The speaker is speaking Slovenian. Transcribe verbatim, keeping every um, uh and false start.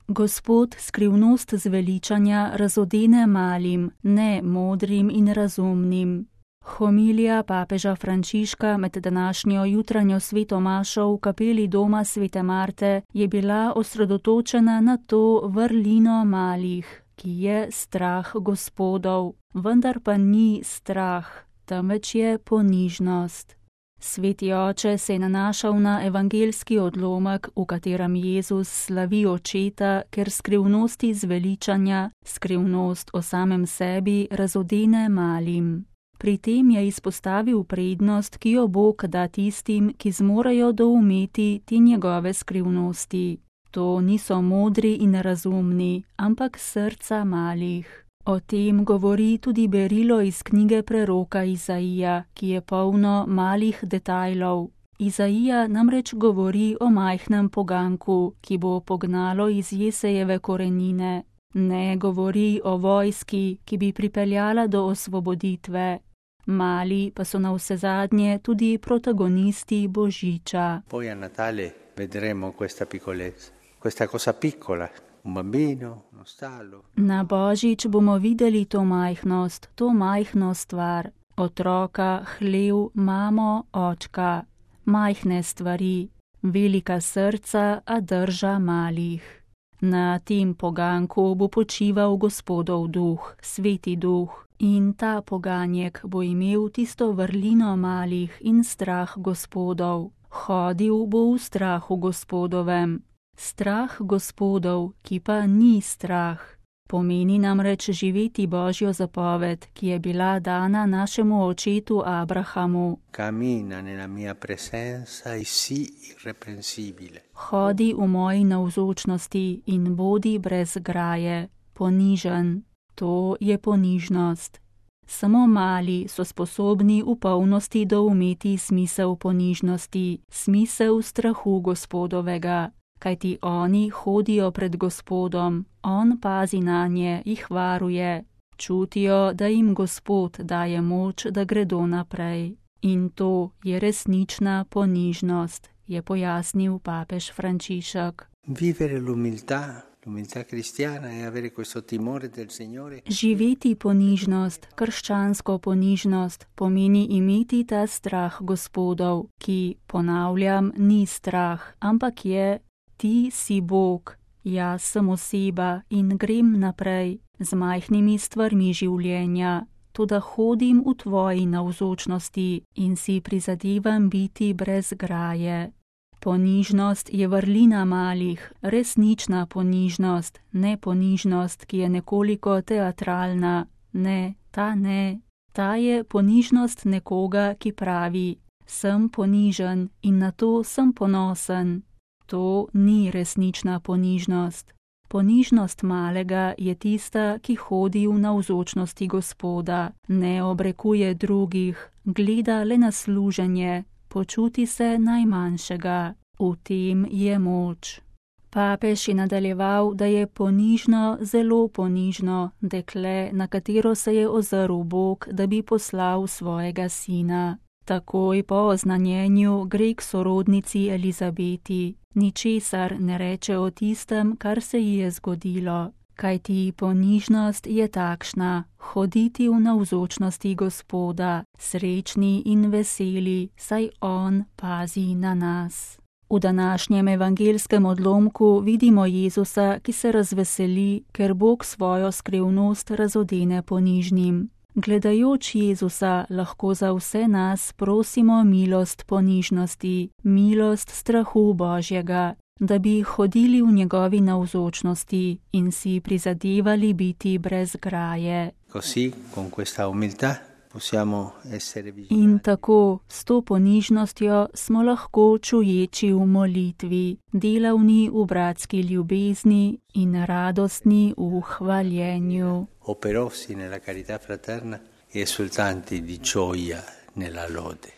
Gospod skrivnost zveličanja razodene malim, ne modrim in razumnim. Homilija papeža Frančiška med današnjo jutranjo sveto mašo v kapeli doma svete Marte je bila osredotočena na to vrlino malih, ki je strah Gospodov, vendar pa ni strah, temveč je ponižnost. Sveti oče se je nanašal na evangeljski odlomek, v katerem Jezus slavi očeta, ker skrivnosti zveličanja, skrivnost o samem sebi razodene malim. Pri tem je izpostavil prednost, ki jo Bog da tistim, ki zmorejo doumeti te njegove skrivnosti. To niso modri in razumni, ampak srca malih. O tem govori tudi berilo iz knjige preroka Izaija, ki je polno malih detajlov. Izaija namreč govori o majhnem poganku, ki bo pognalo iz Jesejeve korenine. Ne govori o vojski, ki bi pripeljala do osvoboditve. Mali pa so navsezadnje tudi protagonisti Božiča. Poi a Natale vedremo questa piccolezza, questa cosa piccola. Na Božič bomo videli to majhnost, to majhno stvar. Otroka, hlev, mamo, očka. Majhne stvari, velika srca, a drža malih. Na tem poganku bo počival Gospodov duh, sveti duh. In ta poganjek bo imel tisto vrlino malih in strah Gospodov. Hodil bo v strahu Gospodovem. Strah Gospodov, ki pa ni strah, pomeni namreč živeti Božjo zapoved, ki je bila dana našemu očetu Abrahamu. Cammina nella mia presenza e sii irreprensibile. Hodi v moji navzočnosti in bodi brez graje, ponižen. To je ponižnost. Samo mali so sposobni v polnosti doumeti smisel ponižnosti, smisel strahu Gospodovega. Kajti oni hodijo pred Gospodom, on pazi nanje, jih varuje, čutijo, da jim Gospod daje moč, da gredo naprej. In to je resnična ponižnost, je pojasnil papež Frančišek. Vivere l'umiltà, l'umiltà cristiana e avere questo timore del Signore. Živeti ponižnost, krščansko ponižnost, pomeni imeti ta strah Gospodov, ki, ponavljam, ni strah, ampak je: Ti si Bog, jaz sem oseba in grem naprej z majhnimi stvarmi življenja, toda hodim v tvoji navzočnosti in si prizadevam biti brez graje. Ponižnost je vrlina malih, resnična ponižnost, ne ponižnost, ki je nekoliko teatralna. Ne, ta ne. Ta je ponižnost nekoga, ki pravi: sem ponižen in na to sem ponosen. To ni resnična ponižnost. Ponižnost malega je tista, ki hodi v navzočnosti Gospoda, ne obrekuje drugih, gleda le na služenje, počuti se najmanjšega. V tem je moč. Papež je nadaljeval, da je ponižno, zelo ponižno dekle, na katero se je ozrl Bog, da bi poslal svojega sina. Takoj po oznanjenju gre k sorodnici Elizabeti. Ničesar ne reče o tistem, kar se ji je zgodilo, kajti ponižnost je takšna, hoditi v navzočnosti Gospoda, srečni in veseli, saj on pazi na nas. V današnjem evangelskem odlomku vidimo Jezusa, ki se razveseli, ker Bog svojo skrivnost razodene ponižnim. Gledajoč Jezusa lahko za vse nas prosimo milost ponižnosti, milost strahu Božjega, da bi hodili v njegovi navzočnosti in si prizadevali biti brez graje. Così, con questa umiltà, possiamo essere vigilati. In tako, s to ponižnostjo smo lahko čuječi v molitvi, delavni v bratski ljubezni in radostni v hvaljenju. Operosi nella carità fraterna e esultanti di gioia nella lode.